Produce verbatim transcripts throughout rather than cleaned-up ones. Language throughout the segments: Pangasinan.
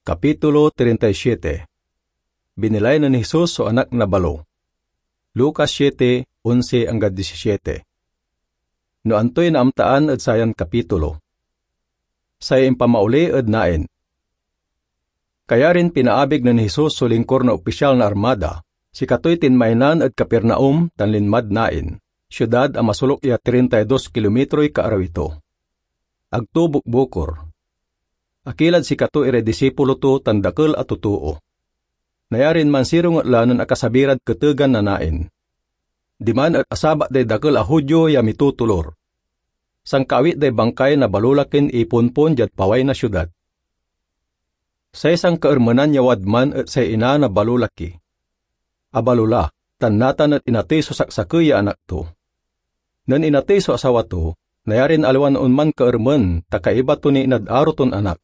Kapitulo treinta y siete. Binilay nen Jesus so anak na balo. Lucas siete, onse anggad disisiete. No antoy naamtaan ed sayan kapitulo? Say impamaoli ed nain. Kayarin pinaabig nen Jesus so lingkor na opisyal na armada, sikatoy tinmaynan ed Capernaum tan linmad Nain, siudad a masolok ya treinta y dos kilometroy kaarawi to. Ag to bukbukor. Akilad sikato iray disipulo to tan dakel a totoo. Nayarin mansirunget la nen akasabi rad ketegan na Nain. Diman et asabat day dakel a Judio ya mitotolor. Sankaawit day bangkay na balolakin iponpon diad paway na siudad. Say sankaermenan ya wadman et say ina na balolaki. Abalo la, tan natan et inatey so saksakey ya anak to. Nen inatey so asawa to, nayarin aliwan onman kaermen ta kaiba to ni inad aro ton anak.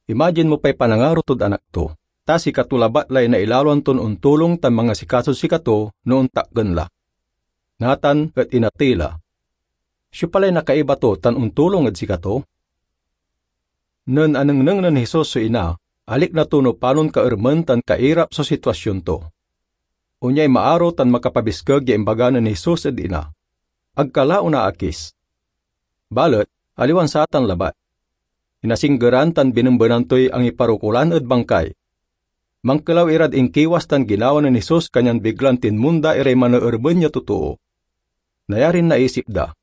Imagine mo pay panangaro tod anak to, ta sikato labat lay nailaloan ton ontulong tan mangasikasod sikato no ontakken la. Natan et inatey la. Siopa lay nakaiba to tan ontulong ed sikato? Nen anengneng nen Jesus so ina, alikna to no panon kaermen tan kairap so sitwasion to. Onyay maaro tan makapabiskeg ya imbaga nen Jesus ed ina, "Ag ka la onaakis." Balet aliwan satan labat. Inasinggeran tan binembenan toy angiparokulan ed bangkay. Mankelaw irad inkiwas tan ginawa nen Jesus, kanyan biglan tinmonda iray maneermen ya totoo. Nayarin naisip da,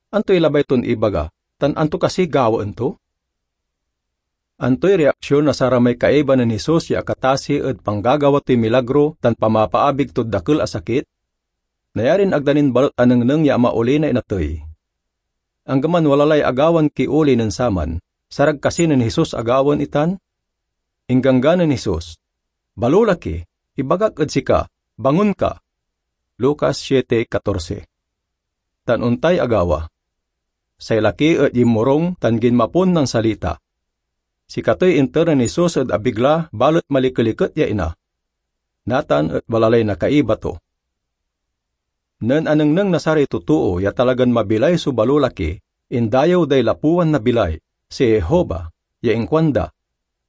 "Antoy labay ton ibaga, tan anto kasi gawaen to?" Antoy reaksion na saramay kaiba nen Jesus ya akatasi ed panggagawa toy milagro tan pamapaabig tod dakel a sakit? Nayarin ag da nin balet anengneng ya amaoli na inatey. Anggaman wala lay agawan kioli nen saman, sarag kasi nen Jesus agawaen itan? Ingganggan nen Jesus, "Balolaki, ibagak ed sika, bangon ka!" Lucas siete catorce. Tan ontay agawa. Say laki et yinmorong tan ginmapon nansalita. Sikatoy inter nen Jesus ed abig la, balet malikeliket ya ina. Natan et wala lay nakaiba to. Nen anengneng na saray totoo ya talagan mabilay so balolaki, indayew day lapuan na bilay, si Jehovah, ya inkuanda,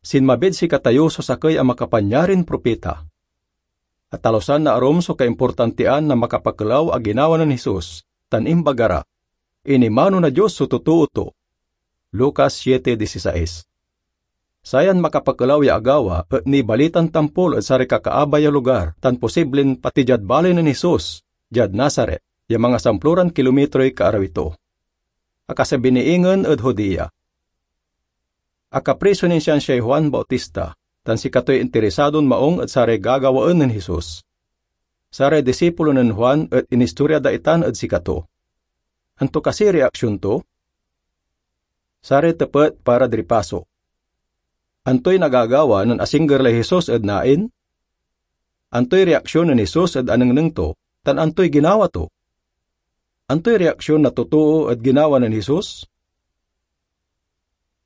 "Sinmabid sikatayo so sakey a makapanyarin propeta." Atalusan na arum so kaimportantian na makapakelaw a ginawa nen Jesus, tan imbaga ra, "Inimano na Dios so totoo to." Lucas siete dieciséis. Sayan makapakelaw ya agawa et nibalitan tampol ed saray kakaabay a lugar tan posiblen pati diad baley nen Jesus, diad Nazaret, ya mangasamploran kilometroy kaarawi to. Akasabi ni ingen ed Judea. Akapriso nin siansiay Juan Bautista, tan sikatoy interisadon maong ed saray gagawaen nen Jesus. Saray disipulo nen Juan et inistorya da itan ed sikato. Anto kasi reaksion to? Saray tepet para di paso. Antoy nagagawa nen asingger lay Jesus ed Nain? Antoy reaksion nen Jesus ed anengneng to, tan antoy ginawa to? Antoy reaksion na totoo ed ginawa nen Jesus?